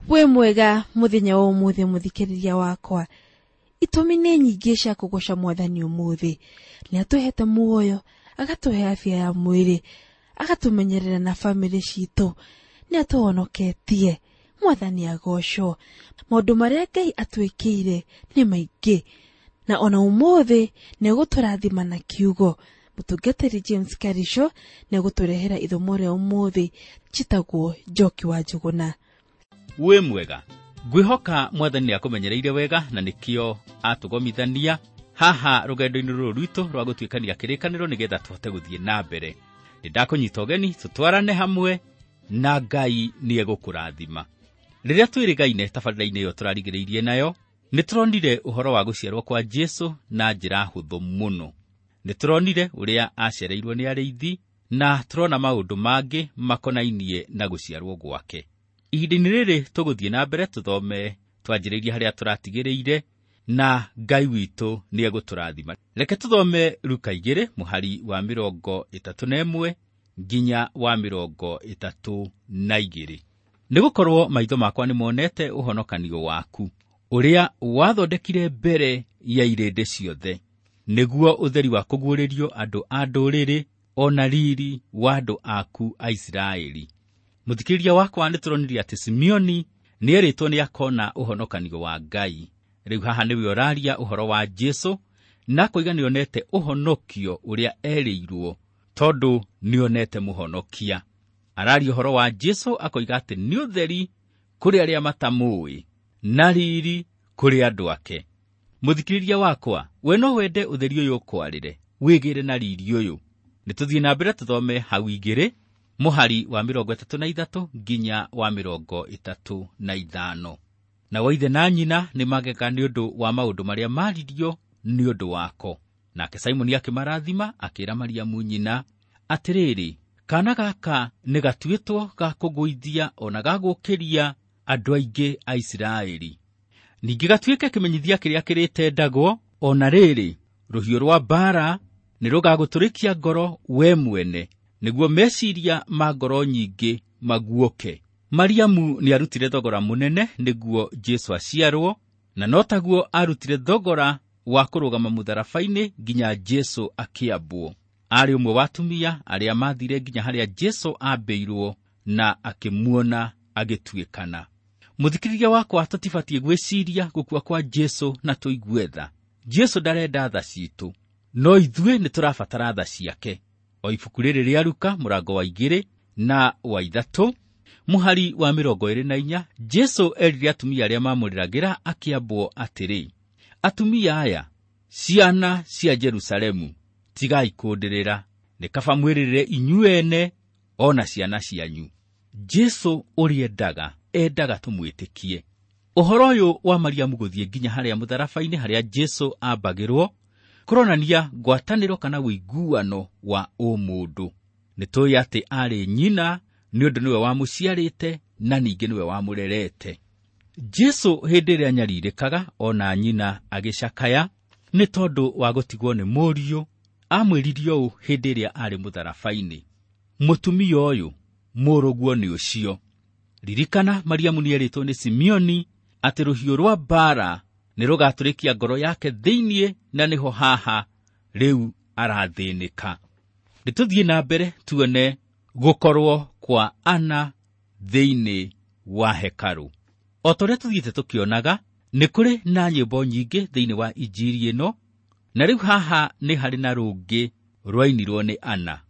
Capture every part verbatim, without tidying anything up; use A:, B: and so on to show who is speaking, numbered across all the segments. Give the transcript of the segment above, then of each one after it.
A: Wĩ mwega mũthenya wa ũmũthĩ mũthikĩrĩria wakwa. Itũmi nĩ nyingĩ cia kũgoca mwathani ũmũthĩ. Nĩ atũhete muoyo, agatũhe afya ya mwĩrĩ, agatũmenyerera na bamĩrĩ citũ, nĩ atũhonoketie. Mwathani agocwo. Maũndũ marĩa Ngai atwĩkĩire nĩ maingĩ, na ona ũmũthĩ nĩ egũtũrathima na kiugo. Mũtungatĩri James Karisho nĩ egũtũrehera ithomo rĩa ũmũthĩ njĩtagwo Njoki wa Njũgũna.
B: Wĩ mwega. Ngwĩhoka mwathani nĩakũmenyereire wega na nĩkĩo atũgomithania haha rũgendo-inĩ rũrũ rwitũ rwa gũtuĩkania kĩrĩkanĩro nĩgetha tũhote gũthiĩ na mbere. Nĩndakũnyita ũgeni tũtwarane hamwe na Ngai nĩegũkũrathima. Rĩrĩa twĩrĩgaine tabarĩra-inĩ ĩyo tũrarigĩrĩirie nayo, nĩtũronire ũhoro wa gũciarwo kwa Jesũ na njĩra hũthũ mũno. Nĩtũronire ũrĩa acereirwo nĩ arĩithi na tũrona maũndũ mangĩ makonainie na gũciarwo gwake. Ihinda-inĩ rĩrĩ tũgũthiĩ na mbere tũthome twanjĩrĩirie harĩa tũratigĩrĩire na Ngai witũ nĩegũtũrathima. Reke tũthome Luka igĩrĩ mũhari wa mĩrongo ĩtatũ na ĩmwe nginya wa mĩrongo ĩtatũ na igĩrĩ. Nĩgũkorwo maitho makwa nĩmonete ũhonokanio waku, ũrĩa wathondekire mbere ya irĩndĩ ciothe, nĩguo ũtheri wa kũguũrĩrio andũ a ndũrĩrĩ o na riri wa andũ aku a Isiraeli. Mũthikĩrĩria wakwa, nĩtũronire atĩ Simeoni nĩerĩtwo nĩakona ũhonokanio wa Ngai. Rĩu haha nĩwe ũraria ũhoro wa Jesũ na akoiga nĩonete ũhonokio ũrĩa erĩirwo tondũ nĩonete mũhonokia. Araria ũhoro wa Jesũ akoiga atĩ nĩ ũtheri kũrĩ arĩa matamũĩ na riri kũrĩ andũ ake. Mũthikĩrĩria wakwa, we no wende ũtheri ũyũ ũkwarĩre, wĩgĩre na riri ũyũ. Nĩtũthiĩ na mbere tũthome hau igĩrĩ mũhari wa mĩrongo ĩtatũ na ithatũ nginya wa mĩrongo ĩtatũ na ithano. Nao ithe na nyina nĩmagega nĩ ũndũ wa maũndũ marĩa maaririo nĩ ũndũ wako. Nake Simoni akĩmarathima akĩĩra Mariamu nyina atĩrĩrĩ, kaana gaka nĩ gatuĩtwo ga kũgũithia ona ga gũũkĩria andũ aingĩ a Isiraeli. Ningĩ gatuĩke kĩmenyithia kĩrĩa kĩrĩtendagwo, ona rĩrĩ, rũhiũ rwa mbaara nĩ rũgagũtũrĩkia ngoro we mwene, nĩguo meciria ma ngoro nyingĩ maguũke. Mariamu nĩarutire thogora mũnene nĩguo Jesũ aciarwo, na no taguo arutire thogora wa kũrũgama mũtharaba-inĩ nginya Jesũ akĩambwo. Aarĩ ũmwe wa atumia arĩa maathire nginya harĩa Jesũ ambĩirwo na akĩmuona agĩtuĩkana. Mũthikĩrĩria wakwa, tũtibatiĩ gwĩciria gũkua kwa Jesũ na tũigue tha. Jesũ ndarenda tha citũ, no ithuĩ nĩtũrabatara tha ciake. O ibuku rĩrĩ rĩa Luka mũrango wa igĩrĩ na wa ithatũ mũhari wa mĩrongo ĩrĩ na inya, Jesũ erire atumia arĩa mamũrĩragĩra akĩambwo atĩrĩ, atumia aya, ciana cia Jerusalemu, tigai kũndĩrĩra, nĩ kaba mwĩrĩrĩre inyuĩ ene o na ciana cianyu. Jesũ ũrĩa endaga, endaga tũmwĩtĩkie. Ũhoro ũyũ wa Mariamu gũthiĩ nginya harĩa mũtharaba-inĩ harĩa Jesũ ambagĩrwo kũronania ngwatanĩro kana ũiguano wa ũmũndũ. Nĩtũĩ atĩ aarĩ nyina nĩ ũndũ nĩwe wamũciarĩte na ningĩ nĩwe wamũrerete. Jesũ hĩndĩ ĩrĩa anyarirĩkaga ona nyina agĩcakaya nĩ tondũ wa gũtigwo nĩ mũriũ, amwĩrire ũũ hĩndĩ ĩrĩa aarĩ mũtharaba-inĩ, mũtumia ũyũ mũrũguo nĩ ũcio. Ririkana Mariamu nĩerĩtwo nĩ Simeoni atĩ rũhiũ rwa mbaara nĩ rũgatũrĩkia ngoro yake thĩinĩ, na nĩho haha rĩu arathĩnĩka. Nĩtũthiĩ na mbere tuone gũkorwo kwa Ana thĩinĩ wa hekarũ. O ta ũrĩa tũthiĩte tũkĩonaga, nĩ kũrĩ na nyĩmbo nyingĩ thĩinĩ wa injiri ĩno, na rĩu haha nĩ harĩ na rũngĩ rwainirwo nĩ Ana.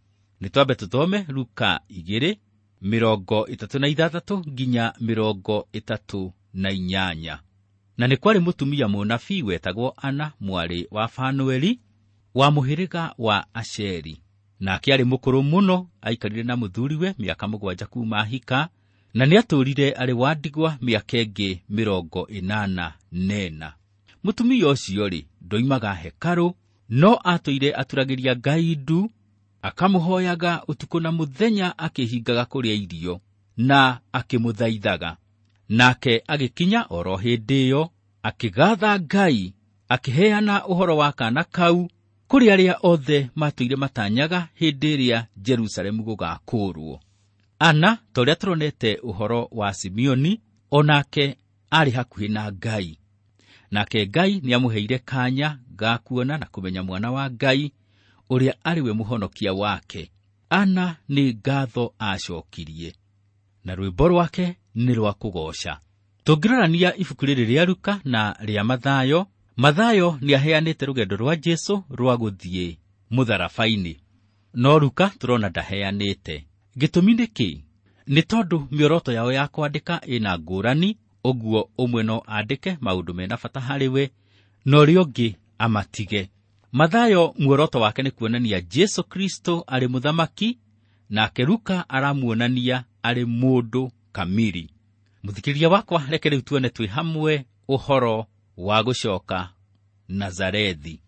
B: Nĩtwambe tũthome Luka igĩrĩ mĩrongo ĩtatũ na ithathatũ nginya mĩrongo ĩtatũ na inyanya. Na nĩ kwarĩ mũtumia mũnabii wetagwo Ana, mwarĩ wa Fanueli, wa mũhĩrĩga wa Asheri. Nake aarĩ mũkũrũ mũno, aikarire na mũthuriwe mĩaka mũgwanja kuuma ahika, na nĩatũũrire arĩ wa ndigwa mĩaka ĩngĩ mĩrongo ĩnana na ĩna. Mũtumia ũcio-rĩ, ndoimaga hekarũ, no atũire aturagĩria Ngai ndu, akamũhoyaga ũtukũ na mũthenya akĩhingaga kũrĩa irio, na akĩmũthaithaga. Nake agĩkinya oro hĩndĩ ĩyo, akĩgatha Ngai, akĩheana ũhoro wa kaana kau kũrĩ arĩa othe matũire matanyaga hĩndĩ ĩrĩa Jerusalemu gũgakũũrwo. Ana, ta ũrĩa tũronete ũhoro wa Simeoni, Onake arĩ hakuhĩ na Ngai. Nake Ngai nĩamũheire kanya ga kuona na kũmenya mwana wa Ngai ũrĩa arĩ we mũhonokia wake. Ana nĩ ngatho acokirie, na rwĩmbo rwake nĩ rwa kũgooca. Tũngĩrorania ibuku rĩrĩ rĩa Luka na rĩa Mathayo, Mathayo nĩaheanĩte rũgendo rwa Jesũ rwa gũthiĩ mũtharaba-inĩ, no Luka tũrona ndaheanĩte. Gĩtũmi nĩ kĩ? Nĩ tondũ mĩoroto yao ya kwandĩka ĩna ngũrani, ũguo ũmwe no andĩke maũndũ mena bata harĩ we, na ũrĩa ũngĩ amatige. Mathayo muoroto wake nĩ kuonania Jesũ Kristo arĩ mũthamaki, nake Luka aramuonania arĩ mũndũ kamiri. Mũthikĩrĩria wakwa, reke rĩu tuone twĩ hamwe ũhoro wa gũcoka Nazarethi.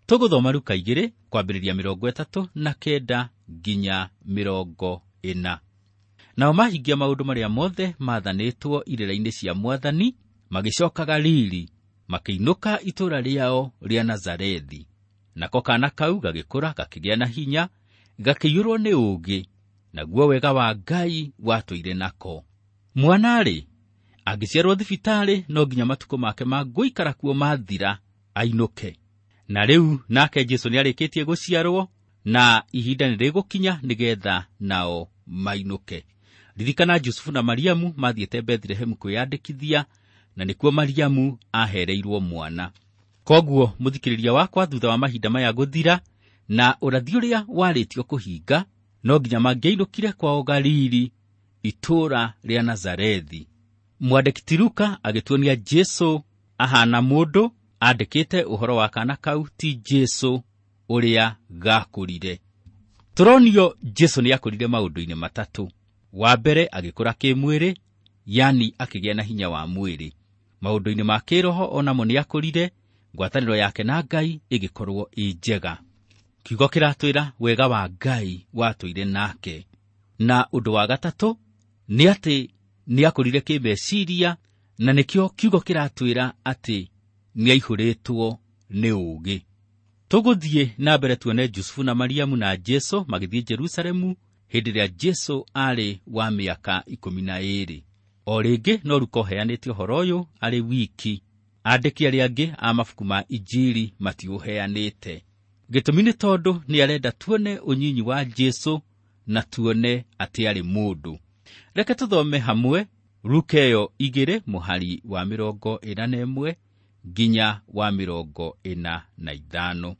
B: Tũgũthoma Luka igĩrĩ kwambĩrĩria mĩrongo ĩtatũ na kenda nginya mĩrongo ĩna. Nao mahingia maũndũ marĩa mothe maathanĩtwo irĩra-inĩ cia Mwathani, magĩcoka Galili, makĩinũka itũũra rĩao rĩa Nazarethi. Nako kaana kau gagĩkũra gakĩgĩa na hinya, gakĩiyũrwo nĩ ũũgĩ, naguo wega wa Ngai watũire nako. Mwana-rĩ, angĩciarwo thibitarĩ no nginya matukũ make ma gũikara kuo mathira ainũke. Na rĩu nake Jesũ nĩarĩkĩtie gũciarwo, na ihinda nĩrĩgũkinya nĩgetha nao mainũke. Ririkana Jusufu na Mariamu mathiĩte Bethlehemu kwĩyandĩkithia, na nĩkuo Mariamu ahereirwo mwana. Koguo mũthikĩrĩria wakwa, thutha wa mahinda maya gũthira na ũrathi ũrĩa warĩtio kũhinga, no nginya mangĩainũkire kwao Galili, itũũra rĩa Nazarethi. Mwandĩki ti Luka agĩtuonia Jesũ ahana mũndũ, andĩkĩte ũhoro wa kaana kau ti Jesũ ũrĩa gakũrire. Tũronio Jesũ nĩakũrire maũndũ-inĩ matatũ. Wa mbere agĩkũra kĩmwĩrĩ, yani akĩgĩa na hinya wa mwĩrĩ. Maũndũ-inĩ ma kĩroho onamo nĩakũrire, ngwatanĩro yake na Ngai ĩgĩkorwo ĩ njega. Kiugo kĩratwĩra wega wa Ngai watũire nake. Na ũndũ wa gatatũ nĩ atĩ nĩakũrire kĩmeciria, na nĩkĩo kiugo kĩratwĩra atĩ nĩaihũrĩtwo nĩ ũũgĩ. Tũgũthiĩ na mbere tuone Jusufu na Mariamu na Jesũ magĩthiĩ Jerusalemu hĩndĩ ĩrĩa Jesũ arĩ wa mĩaka ikũmi na ĩĩrĩ. O rĩngĩ no Luka ũheanĩte ũhoro ũyũ arĩ wiki. Andĩki arĩa angĩ a mabuku ma Injiri matiũheanĩte. Gĩtũmi nĩ tondũ nĩarenda tuone ũnyinyi wa Jesũ na tuone atĩ arĩ mũndũ. Reke tũthome hamwe Luka ĩyo igĩrĩ mũhari wa mĩrongo ĩna na ĩmwe nginya wa mĩrongo ĩna na ithano.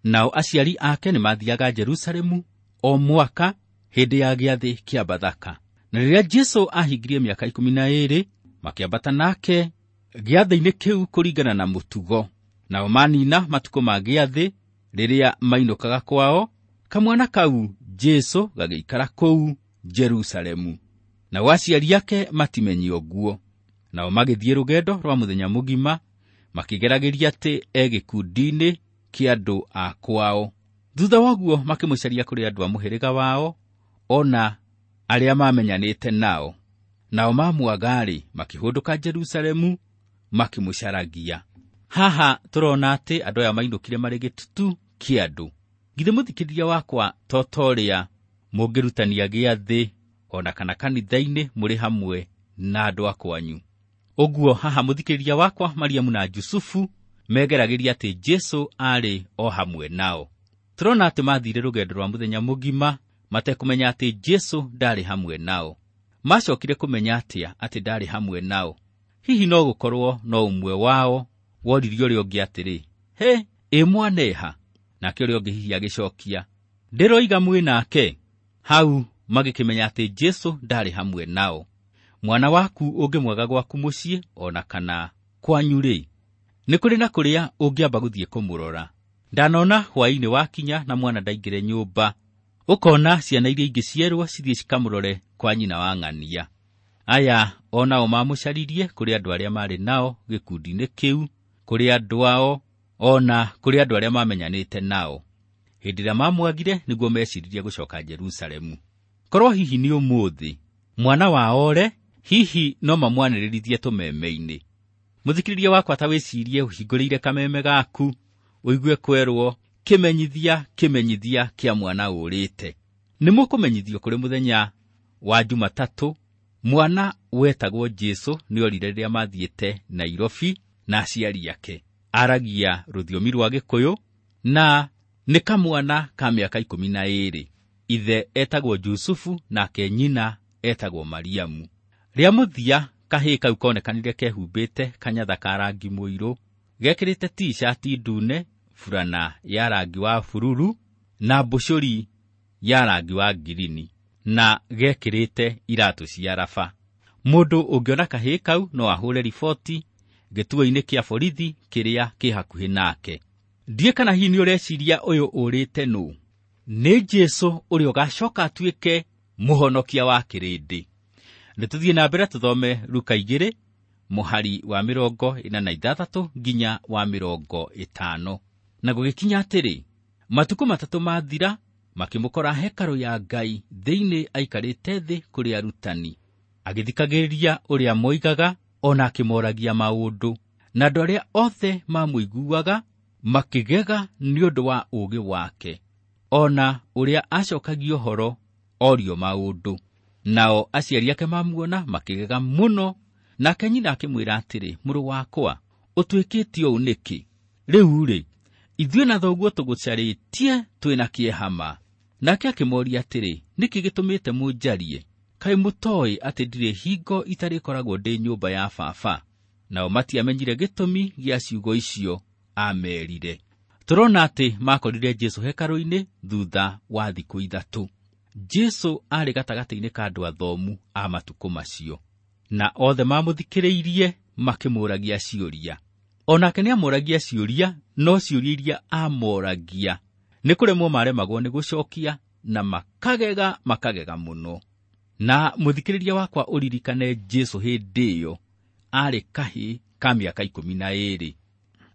B: Nao aciari ake nĩmathiaga Jerusalemu o mwaka hĩndĩ ya gĩathĩ kĩa Bathaka. Na rĩrĩa Jesũ ahingirie mĩaka ikũmi na ĩĩrĩ, makĩambata nake gĩathĩ-inĩ kĩu kũringana na mũtugo. Nao manina matukũ ma gĩathĩ, rĩrĩa mainũkaga kwao, kamwana kau Jesũ gagĩikara kũu Jerusalemu. Nao aciari ake matimenye ũguo. Nao magĩthiĩ rũgendo rwa mũthenya mũgima, makĩgeragĩria atĩ e gĩkundi-inĩ kĩa andũ a kwao. Thutha wa ũguo makĩmũcaria kũrĩ andũ a mũhĩrĩga wao, ona arĩa mamenyanĩte nao. Nao mamwaga-rĩ, makĩhũndũka Jerusalemu, makĩmũcaragia. Haha tũrona atĩ andũ aya mainũkire marĩ gĩtutu kĩa andũ. Githĩ mũthikĩrĩria wakwa to ta ũrĩa mũngĩrutania gĩathĩ ona kana kanitha-inĩ mũrĩ hamwe na andũ a kwanyu. Ũguo haha mũthikĩrĩria wakwa, Mariamu na Jusufu megeragĩria atĩ Jesũ arĩ o hamwe nao. Tũrona atĩ mathire rũgendo rwa mũthenya mũgima matekũmenya atĩ Jesũ ndarĩ hamwe nao. Macokire kũmenya atĩa atĩ ndarĩ hamwe nao? Hihi no gũkorwo no ũmwe wao woririe ũrĩa ũngĩ atĩrĩ, he, ĩ mwaneha? Nake ũrĩa ũngĩ hihi agĩcokia, ndĩroiga mwĩ nake. Hau magĩkĩmenya atĩ Jesũ ndarĩ hamwe nao. Mwana waku ũngĩmwaga gwaku mũciĩ ona kana kwanyu-rĩ, nĩ kũrĩ na kũrĩa ũngĩamba gũthiĩ kũmũrora. Ndanona hwaĩ-inĩ wakinya na mwana ndaingĩre nyũmba, ũkona ciana iria ingĩ cierwo cithiĩ cikamũrore kwa nyina wa ng'ania. Aya onao mamũcaririe kũrĩ andũ arĩa marĩ nao gĩkundi-inĩ kĩu, kũrĩ andũ ao, ona kũrĩ andũ arĩa mamenyanĩte nao. Hĩndĩ ĩrĩa mamwagire nĩguo meciririe gũcoka Jerusalemu. Korwo hihi nĩ ũmũthĩ mwana wao ore, hihi no mamwanĩrĩrithie tũmeme-inĩ. Mũthikĩrĩria wakwa, ta wĩcirie ũhingũrĩire kameme gaku, ũigue kwerwo kĩmenyithia kĩmenyithia kĩa mwana ũrĩte. Nĩ mũkũmenyithio kũrĩ mũthenya wa Jumatatũ Mwana wetagwo Jesu nĩorire rĩrĩa mathiĩte Nairobi na aciari ake. Aragia rũthiomi rwa Gĩkũyũ na nĩ kamwana ka mĩaka ikũmi na ĩĩrĩ. Ithe etagwo Jusufu nake nyina etagwo Mariamu. Rĩa mũthia kahĩĩ kau konekanire kehumbĩte kanyatha ka rangi mũirũ, gekĩrĩte t-shirt ndune, burana ya rangi wa bururu na mbucũri ya rangi wa ngirini, na gekĩrĩte iratũ cia raba. Mũndũ ũngĩona kahĩĩ kau no ahũre riboti gĩtuo-inĩ kĩa borithi kĩrĩa kĩ hakuhĩ nake. Ndiĩ kana hihi nĩũreciria ũyũ ũrĩte nũ? Nĩ Jesu ũrĩa ũgacoka atuĩke mũhonokia wa kĩrĩndĩ. Nĩtũthiĩ na mbere tũthome Luka igĩrĩ mũhari wa mĩrongo ĩna na ithathatũ nginya wa mĩrongo ĩtano. Na gũgĩkinya atĩrĩ, matukũ matatũ mathira, makĩmũkora hekarũ ya Ngai thĩinĩ aikarĩte thĩ kũrĩ arutani, agĩthikagĩrĩria ũrĩa moigaga ona akĩmoragia maũndũ. Na andũ arĩa othe mamũiguaga makĩgega nĩ ũndũ wa ũũgĩ wake, ona ũrĩa acokagia ũhoro orio maũndũ. Nao aciari ake mamuona makĩgega mũno, nake nyina akĩmwĩra atĩrĩ, mũrũ wakwa, ũtuĩkĩte ũũ nĩkĩ? Rĩu-rĩ, ithuĩ na thoguo tũgũcarĩtie twĩna kĩeha ma. Nake akĩmoria atĩrĩ, nĩkĩ gĩtũmĩte mũnjarie? Kaĩ mũtooĩ atĩ ndirĩ hingo itarĩkoragwo ndĩ nyũmba ya baba? Nao matiamenyire gĩtũmi gĩa ciugo icio aamerire. Tũrona atĩ makorire Jesu hekarũ-inĩ thutha wa thikũ ithatũ. Jesu aarĩ gatagatĩ-inĩ ka andũ athomu a matukũ macio, na othe mamũthikĩrĩirie makĩmũragia ciũria. Onake nĩamũragia ciũria, no ciũria iria amoragia nĩ kũremwo maremagwo nĩ gũcokia, na makagega makagega mũno. Na mũthikĩrĩria wakwa ũririkane Jesu hĩndĩ ĩyo aarĩ kahĩĩ ka mĩaka ikũmi na ĩĩrĩ.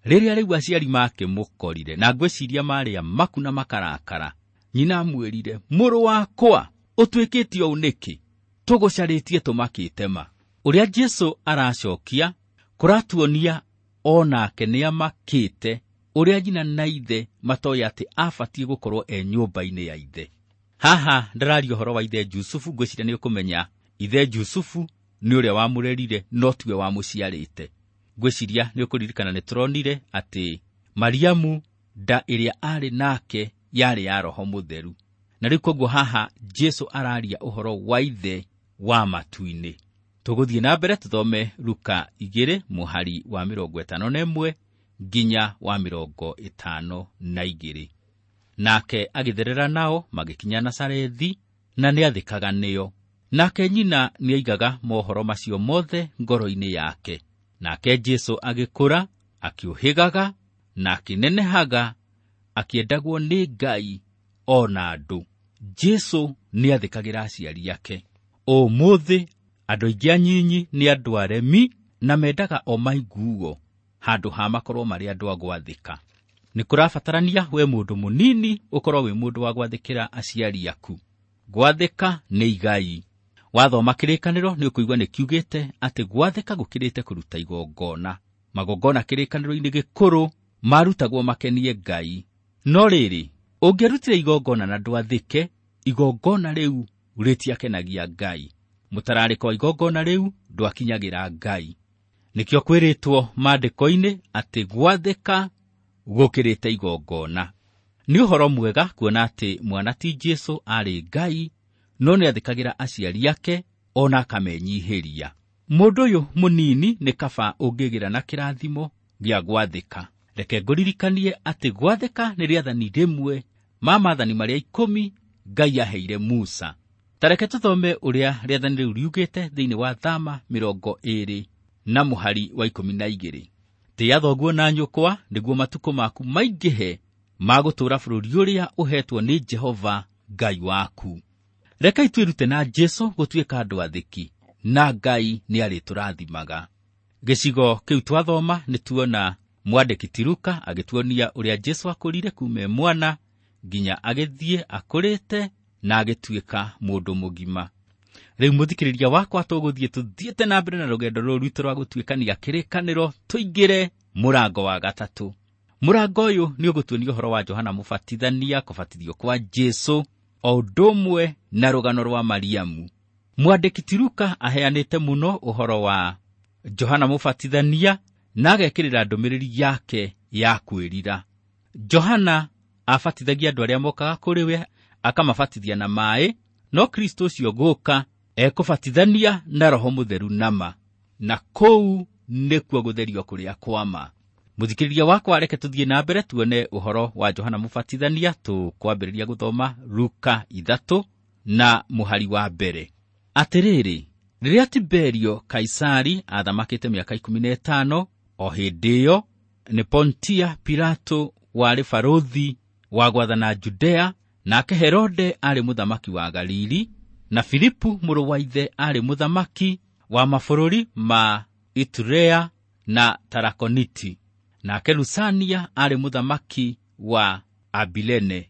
B: Rĩrĩa rĩu aciari makĩmũkorire, na ngwĩciria marĩ amaku na makarakara, nyina amwĩrire, mũrũ wakwa, ũtuĩkĩte ũũ nĩkĩ? Tũgũcarĩtie tũmakĩte ma. Ũrĩa Jesu aracokia kũratuonia onake nĩamakĩte ũrĩa nyina na ithe matoĩ atĩ abatiĩ gũkorwo e nyũmba-inĩ ya ithe. Haha ndĩraria ũhoro wa ithe Jusufu, ngwĩciria nĩũkũmenya ithe Jusufu nĩ ũrĩa wamũrerire no tiwe wamũciarĩte. Ngwĩciria nĩũkũririkana nĩtũronire atĩ Mariamu nda ĩrĩa aarĩ nake yarĩ ya Roho Mũtheru. Na rĩu koguo haha Jesu araria ũhoro wa ithe wa matu-inĩ. Tũgũthiĩ na mbere tũthome Luka igĩrĩ mũhari wa mĩrongo ĩtano na ĩmwe nginya wa mĩrongo ĩtano na igĩrĩ. Nake agĩtherera nao magĩkinya Nazarethi, na nĩathĩkaga nĩo. Nake nyina nĩaigaga mohoro macio mothe ngoro-inĩ yake. Nake Jesu agĩkũra, akĩũhĩgaga na akĩnenehaga, akĩendagwo nĩ Ngai ona andũ. Jesu nĩathĩkagĩra aciari ake. Ũmũthĩ andũ aingĩ anyinyi nĩ andũ aremi na mendaga o maiguo handũ ha makorwo marĩ andũ a gwathĩka. Nĩ kũrabatarania we mũndũ mũnini ũkorwo wĩ mũndũ wa gwathĩkĩra aciari aku. Gwathĩka nĩ igai. Wathoma kĩrĩkanĩro nĩ ũkũigua nĩ kiugĩte atĩ gwathĩka gũkĩrĩte kũruta igongona. Magongona kĩrĩkanĩro-inĩ gĩkũrũ marutagwo makenie Ngai. No rĩrĩ, ũngĩarutire igongona na ndwathĩke, igongona rĩu rĩtiakenagia Ngai. Mũtararĩko wa igongona rĩu ndwakinyagĩra Ngai. Nĩkĩo kwĩrĩtwo maandĩko-inĩ atĩ gwathĩka gũkĩrĩte igongona. Nĩ ũhoro mwega kuona atĩ mwana ti Jesu aarĩ Ngai, no nĩathĩkagĩra aciari ake ona akamenyihĩria. Mũndũ ũyũ mũnini nĩ kaba ũngĩgĩra na kĩrathimo gĩa gwathĩka. Reke ngũririkanie atĩ gwathĩka nĩ rĩathani rĩmwe ma maathani marĩa ikũmi Ngai aheire Musa. Ta reke tũthome ũrĩa rĩathani rĩu riugĩte thĩinĩ wa Thama mĩrongo ĩĩrĩ na mũhari wa ikũmi na igĩrĩ. Tĩĩa thoguo na nyũkwa nĩguo matukũ maku maingĩhe ma gũtũũra bũrũri ũrĩa ũheetwo nĩ Jehova Ngai waku. Rekei twĩrute na Jesu gũtuĩka andũ athĩki, na Ngai nĩarĩtũrathimaga. Gĩcigo kĩu twathoma nĩtuona mwandĩki ti Luka agĩtuonia ũrĩa Jesu akũrire kuuma e mwana nginya agĩthiĩ akũrĩte na agĩtuĩka mũndũ mũgima. Rĩu mũthikĩrĩria wakwa tũgũthiĩ tũthiĩte na mbere na rũgendo rũrũ rwitũ rwa gũtuĩkania kĩrĩkanĩro tũingĩre mũrango wa gatatũ. Mũrango ũyũ nĩ ũgũtuonia ũhoro wa Johana Mũbatithania, kũbatithio kwa Jesu, o ũndũ ũmwe na rũgano rwa Mariamu. Mwandĩki ti Luka aheanĩte mũno ũhoro wa Johana Mũbatithania na agekĩrĩra ndũmĩrĩri yake ya kwĩrira. Johana abatithagia andũ arĩa mokaga kũrĩ we akamabatithia na maĩ, no Kristo ũcio gũka ekũbatithania na Roho Mũtheru nama, na kũu nĩkuo gũtherio kũrĩa kwa ma. Mũthikĩrĩria wakwa, reke tũthiĩ na mbere tuone ũhoro wa Johana Mũbatithania. Tũkwambĩrĩria gũthoma Luka ithatũ na mũhari wa mbere. Atĩrĩrĩ, rĩrĩa Tiberio Kaisari aathamakĩte mĩaka ikũmi na ĩtano, o hĩndĩ ĩyo nĩ Pontia Pilato warĩ barũthi wa gwathana Judea, nake Herode aarĩ mũthamaki wa Galili, na Filipu mũrũ wa ithe aarĩ mũthamaki wa mabũrũri ma Iturea na Tarakoniti, nake Lusania aarĩ mũthamaki wa Abilene.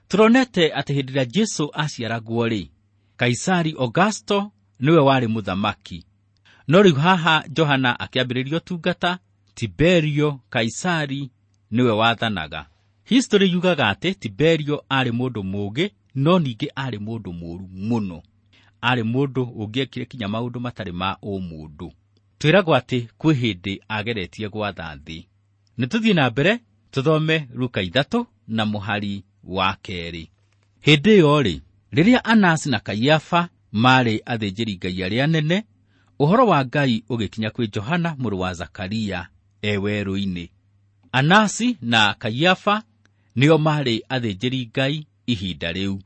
B: Tũronete atĩ hĩndĩ ĩrĩa Jesũ aciaragwo-rĩ, Kaisari Augusto nĩwe warĩ mũthamaki. No rĩu haha Johana akĩambĩrĩria ũtungata, Tiberio Kaisari nĩwe wathanaga. History yugaga atĩ Tiberio aarĩ mũndũ mũũgĩ, no ningĩ aarĩ mũndũ mũũru mũno. Aarĩ mũndũ ũngĩekire kinya maũndũ matarĩ ma ũmũndũ. Twĩragwo atĩ kwĩ hĩndĩ ageretie gwatha thĩ. Nĩ tũthiĩ na mbere tũthome Luka ithatũ na mũhari wa kerĩ. Hĩndĩ ĩyo-rĩ, rĩrĩa Anasi na Kaiafa maarĩ athĩnjĩri-Ngai arĩa anene, ũhoro wa Ngai ũgĩkinya kwĩ Johana mũrũ wa Zakaria e werũ-inĩ. Anasi na Kaiafa nĩo maarĩ athĩnjĩri-Ngai ihinda rĩu.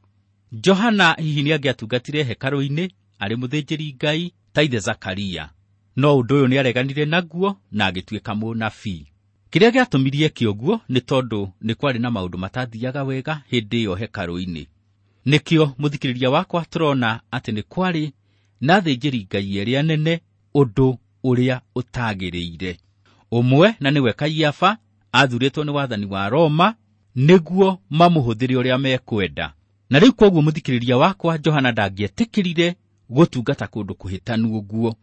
B: Johana hihi nĩangĩatungatire hekarũ-inĩ arĩ mũthĩnjĩri-Ngai ta ithe Zakaria, no ũndũ ũyũ nĩareganire naguo na agĩtuĩka mũnabii. Kĩrĩa gĩatũmirie eke ũguo nĩ tondũ nĩ kwarĩ na maũndũ matathiaga wega hĩndĩ ĩyo hekarũ-inĩ. Nĩkĩo mũthikĩrĩria wakwa tũrona atĩ nĩ kwarĩ na athĩnjĩri-Ngai erĩ anene, ũndũ ũrĩa ũtagĩrĩire. Ũmwe na nĩwe Kaiafa athurĩtwo nĩ wathani wa Roma nĩguo mamũhũthĩre ũrĩa mekwenda. Na rĩu kwoguo mũthikĩrĩria wakwa, Johana ndangĩetĩkĩrire gũtungata kũndũ kũhĩtanu ũguo,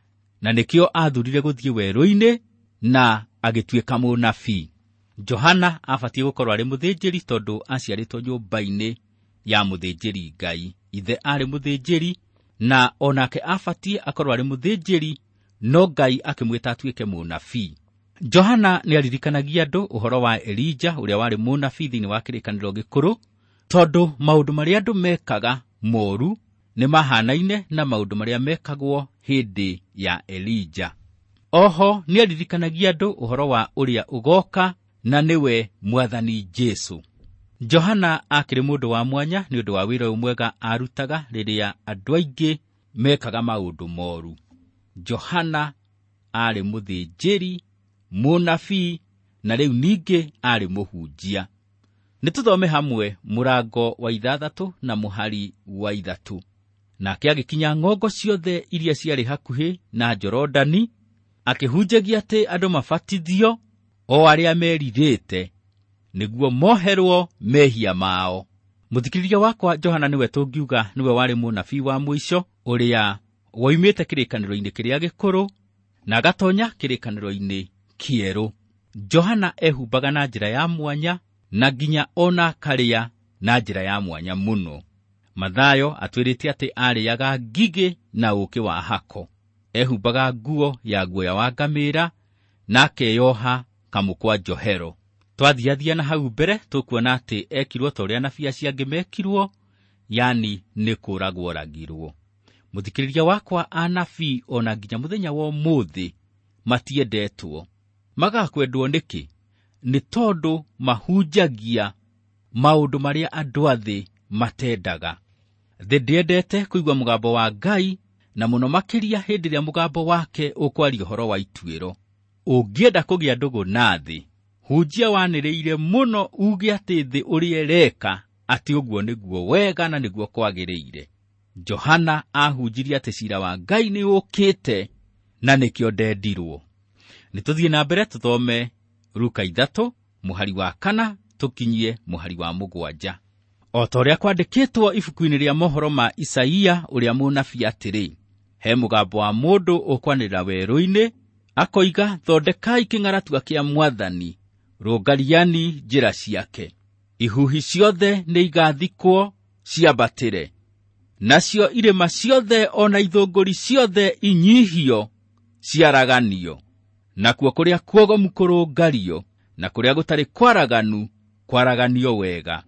B: na nĩkĩo athurire gũthiĩ werũ-inĩ na agĩtuĩka mũnabii. Johana abatiĩ gũkorwo arĩ mũthĩnjĩri tondũ aciarĩtwo nyũmba-inĩ ya mũthĩnjĩri Ngai. Ithe aarĩ mũthĩnjĩri na onake abatiĩ akorwo arĩ mũthĩnjĩri, no Ngai akĩmwĩta atuĩke mũnabii. Johana nĩaririkanagia andũ ũhoro wa Elija ũrĩa warĩ mũnabii thĩinĩ wa kĩrĩkanĩro gĩkũrũ, tondũ maũndũ marĩa andũ mekaga moru nĩ mahanaine na maũndũ marĩa mekagwo hĩndĩ ya Elija. Oho nĩaririkanagia andũ ũhoro wa ũrĩa ũgoka na nĩwe Mwathani Jesũ. Johana akĩrĩ mũndũ wa mwanya nĩ ũndũ wa wĩra ũyũ mwega arutaga rĩrĩa andũ aingĩ mekaga maũndũ moru. Johana aarĩ mũthĩnjĩri, mũnabii na rĩu ningĩ aarĩ mũhunjia. Nĩ tũthome hamwe mũrango wa ithathatũ na mũhari wa ithatũ. Nake agĩkinya ng'ongo ciothe iria ciarĩ hakuhĩ na Jorodani, akĩhunjagia atĩ andũ mabatithio o arĩa merirĩte nĩguo moherwo mehia mao. Mũthikĩrĩria wakwa, Johana nĩwe tũngiuga nĩwe warĩ mũnabii wa mũico ũrĩa woimĩte kĩrĩkanĩro-inĩ kĩrĩa gĩkũrũ na agatonya kĩrĩkanĩro-inĩ kĩerũ. Johana ehumbaga na njĩra ya mwanya na nginya ona akarĩa na njĩra ya mwanya mũno. Mathayo atwĩrĩte atĩ arĩaga ngigĩ na ũũkĩ wa hako. Ehumbaga nguo ya guoya wa ngamĩĩra na akeyoha kamũkwa njohero. Twathiathia na hau mbere tũkuona atĩ ekirwo ta ũrĩa anabii acio angĩ mekirwo, yani nĩ kũragwo oragirwo. Mũthikĩrĩria wakwa, anabii ona nginya mũthenya wa ũmũthĩ matiendetwo. Magakwendwo nĩkĩ? Nĩ tondũ mahunjagia maũndũ marĩa andũ a thĩ matendaga. Thĩ ndĩendete kũigua mũgambo wa Ngai, na mũno makĩria hĩndĩ ĩrĩa mũgambo wake ũkwaria ũhoro wa ituĩro. Ũngĩenda kũgĩa ndũgũ na thĩ, hunjia wanĩrĩire mũno uge atĩ thĩ ũrĩa ĩreka atĩ ũguo nĩguo wega na nĩguo kwagĩrĩire. Johana ahunjirie atĩ ciira wa Ngai nĩ ũkĩte na nĩkĩo ndendirwo. Nĩ tũthiĩ na mbere tũthome Luka ithatũ mũhari wa kana tũkinyie mũhari wa mũgwanja. O ta ũrĩa kwandĩkĩtwo ibuku-inĩ rĩa mohoro ma Isaia ũrĩa mũnabii atĩrĩ, he mũgambo wa mũndũ ũkwanĩrĩra werũ-inĩ akoiga, thondekai kĩng'aratua kĩa Mwathani, rũngariani njĩra ciake. Ihuhi ciothe nĩ igathikwo ciambatĩre, Nacio irĩma ciothe ona ithũngũri ciothe inyihio ciaraganio, nakuo kũrĩa kuogomu kũrũngario, na kũrĩa gũtarĩ kwaraganu kwaraganio wega.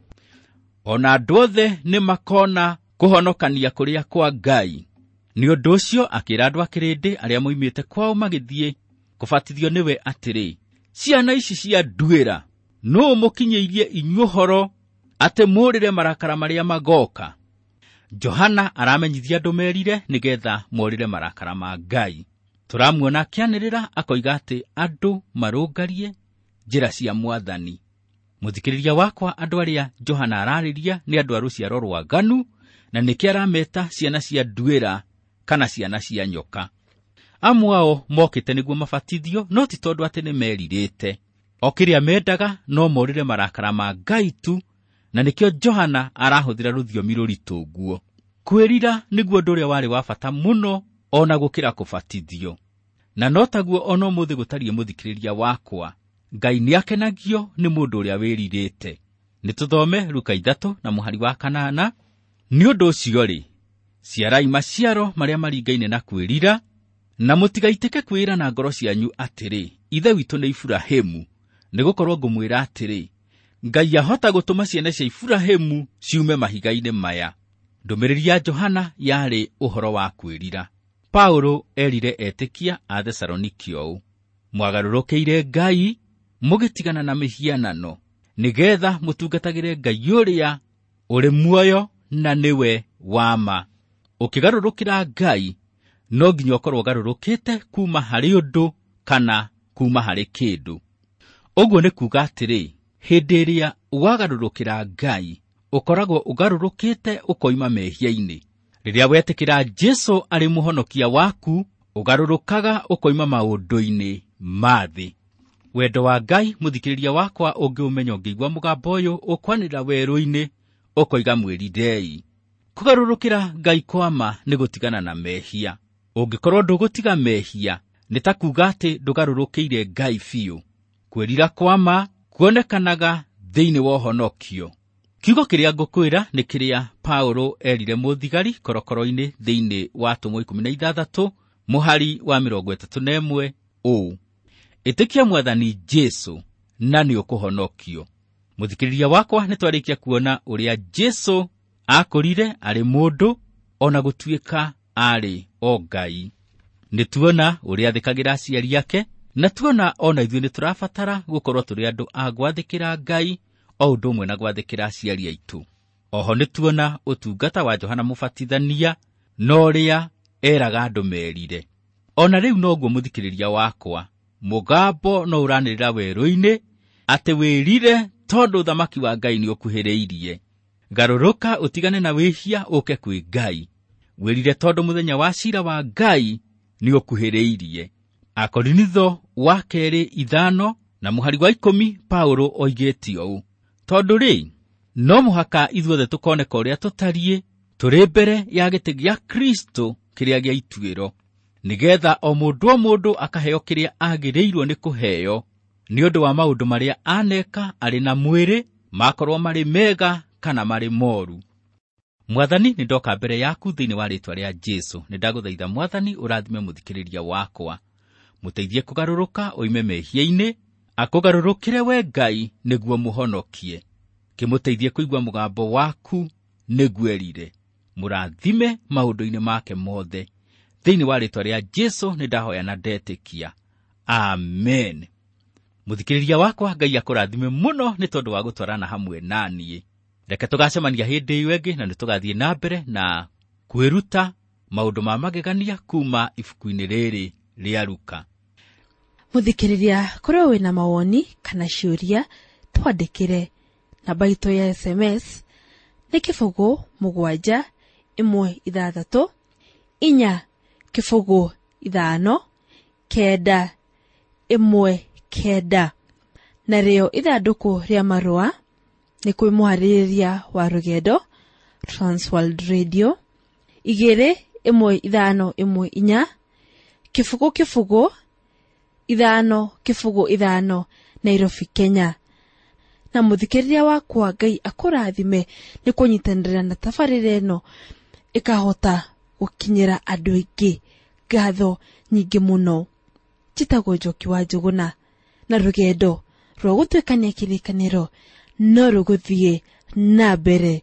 B: Ona andũ othe nĩ makona kũhonokania kũrĩa kwa Ngai. Nĩ ũndũ ũcio akĩra andũ a kĩrĩndĩ arĩa moimĩte kwao magĩthiĩ kũbatithio nĩwe atĩrĩ, ciana ici cia nduĩra, nũũ mũkinyĩirie inyuĩ ũhoro atĩ mũũrĩre marakara marĩa magoka? Johana aramenyithia andũ merire nĩgetha morĩre marakara ma Ngai. Tũramuona akĩanĩrĩra akoiga atĩ andũ marũngarie njĩra cia Mwathani. Mũthikĩrĩria wakwa, andũ arĩa Johana ararĩria nĩ andũ a rũciaro rwaganu, na nĩkĩo arameta ciana cia nduĩra kana ciana cia nyoka. Amwe ao mokĩte nĩguo mabatithio, no ti tondũ atĩ nĩmerirĩte. O kĩrĩa mendaga no morĩre marakara ma Ngai tu, na nĩkĩo Johana arahũthĩra rũthiomi rũritũ ũguo. Kwĩrira nĩguo ũndũ ũrĩa warĩ wa bata mũno ona gũkĩra kũbatithio. Na no taguo ona ũmũthĩ gũtariĩ, mũthikĩrĩria wakwa, Ngai nĩakenagio nĩ mũndũ ũrĩa wĩrirĩte. Nĩtũthome Luka ithatũ na mũhari wa kanana. Nĩ ũndũ ũcio-rĩ, ciarai maciaro marĩa maringaine na kwĩrira, na mũtigaitĩke kwĩra na ngoro cianyu atĩrĩ, Ithe witũ nĩ Iburahĩmu, nĩgũkorwo ngũmwĩra atĩrĩ, Ngai ahota gũtũma ciana cia Iburahĩmu ciume mahiga-inĩ maya. Ndũmĩrĩri ya Johana yarĩ ũhoro wa kwĩrira. Paulo erire etĩkia a Thesaloniki ũũ, mwagarũrũkĩire Ngai mũgĩtigana na mĩhianano, nĩgetha mũtungatagĩre Ngai ũrĩa ũrĩ muoyo na nĩwe wa ma. Ũkĩgarũrũkĩra Ngai, no nginya ũkorwo ũgarũrũkĩte kuma harĩ ũndũ kana kuma harĩ kĩndũ. Ũguo nĩ kuuga atĩrĩ, hĩndĩ ĩrĩa wagarũrũkĩra Ngai, ũkoragwo ũgarũrũkĩte ũkoima mehia-inĩ. Rĩrĩa wetĩkĩra Jesũ arĩ mũhonokia waku, ũgarũrũkaga ũkoima maũndũ-inĩ ma thĩ. Wendo wa Ngai, mũthikĩrĩria wakwa, ũngĩũmenya ũngĩigua mũgambo ũyũ ũkwanĩrĩra werũ-inĩ, ũkoiga mwĩrirei. Kũgarũrũkĩra Ngai kwa ma nĩ gũtigana na mehia. Ũngĩkorwo ndũgũtiga mehia, nĩ ta kuuga atĩ ndũgarũrũkĩire Ngai biũ. Kwĩrira kwa ma kuonekanaga thĩinĩ wa ũhonokio. Kiugo kĩrĩa ngũkwĩra nĩ kĩrĩa Paulo erire mũthigari korokoro-inĩ thĩinĩ wa Atũmwo ikũmi na ithathatũ mũhari wa mĩrongo ĩtatũ na ĩmwe ũũ, ĩtĩkia Mwathani Jesũ na nĩ ũkũhonokio. Mũthikĩrĩria wakwa, nĩ twarĩkia kuona ũrĩa Jesũ akũrire arĩ mũndũ ona gũtuĩka arĩ o Ngai. Nĩ tuona ũrĩa athĩkagĩra aciari ake, na tuona ona ithuĩ nĩ tũrabatara gũkorwo tũrĩ andũ a gwathĩkĩra Ngai o ũndũ ũmwe na gwathĩkĩra aciari aitũ. Oho nĩ tuona ũtungata wa Johana Mũbatithania na ũrĩa eraga andũ merire. Ona rĩu noguo mũthikĩrĩria wakwa, mũgambo no ũranĩrĩra werũ-inĩ atĩ wĩrire tondũ ũthamaki wa Ngai nĩ ũkuhĩrĩirie. Garũrũka ũtigane na wĩhia ũke kwĩ Ngai. Wĩrire tondũ mũthenya wa ciira wa Ngai nĩ ũkuhĩrĩirie. Akorinitho wa kerĩ ithano na mũhari wa ikũmi Paulo oigĩte ũũ, tondũ rĩ, no mũhaka ithuothe tũkoneka ũrĩa tũtariĩ tũrĩ mbere ya gĩtĩ gĩa Kristo kĩrĩa gĩa ituĩro, nĩgetha o mũndũ o mũndũ akaheo kĩrĩa agĩrĩirwo nĩ kũheo nĩ ũndũ wa maũndũ marĩa aneka arĩ na mwĩrĩ, makorwo marĩ mega kana marĩ moru. Mwathani, nĩ ndoka mbere yaku thĩinĩ wa rĩĩtwa rĩa Jesũ. Nĩ ndagũthaitha Mwathani ũrathime mũthikĩrĩria wakwa, mũteithie kũgarũrũka oime mehia-inĩ, akũgarũrũkĩre we Ngai nĩguo mũhonokie. Kĩmũteithie kũigua mũgambo waku nĩguo erire. Mũrathime maũndũ-inĩ make mothe. Thĩinĩ wa rĩĩtwa rĩa Jesũ nĩ ndahoya na ndetĩkia. Amen. Mũthikĩrĩria wakwa, Ngai akũrathime mũno nĩ tondũ wa gũtwarana hamwe na niĩ. Reke tũgacemania hĩndĩ ĩyo ĩngĩ na nĩ tũgathiĩ na mbere na kwĩruta maũndũ ma magegania kuma ibuku-inĩ rĩrĩ rĩa Luka.
A: Mũthikĩrĩria, korwo wĩna mawoni kana ciũria, twandĩkĩre. Namba itũ ya S M S nĩ kĩbũgũ mũgwanja ĩmwe ithathatũ inya kĩbũgũ ithano kenda ĩmwe kenda. Narĩo ithandũkũ rĩa marũa nĩ kwĩ mũharĩrĩria wa rũgendo Transworld Radio igĩrĩ ĩmwe ithano ĩmwe inya kĩbũgũ kĩbũgũ ithano kĩbũgũ ithano Nairobi, Kenya. Na mũthikĩrĩria wakwa, Ngai akũrathime nĩ kũnyitanĩra na tabarĩra ĩno. Ĩkahota gũkinyĩra andũ aingĩ. Ngatho nyingĩ mũno. Njĩtagwo Njoki wa Njũgũna, na rũgendo rwa gũtuĩkania kĩrĩkanĩro no rũgũthiĩ na mbere.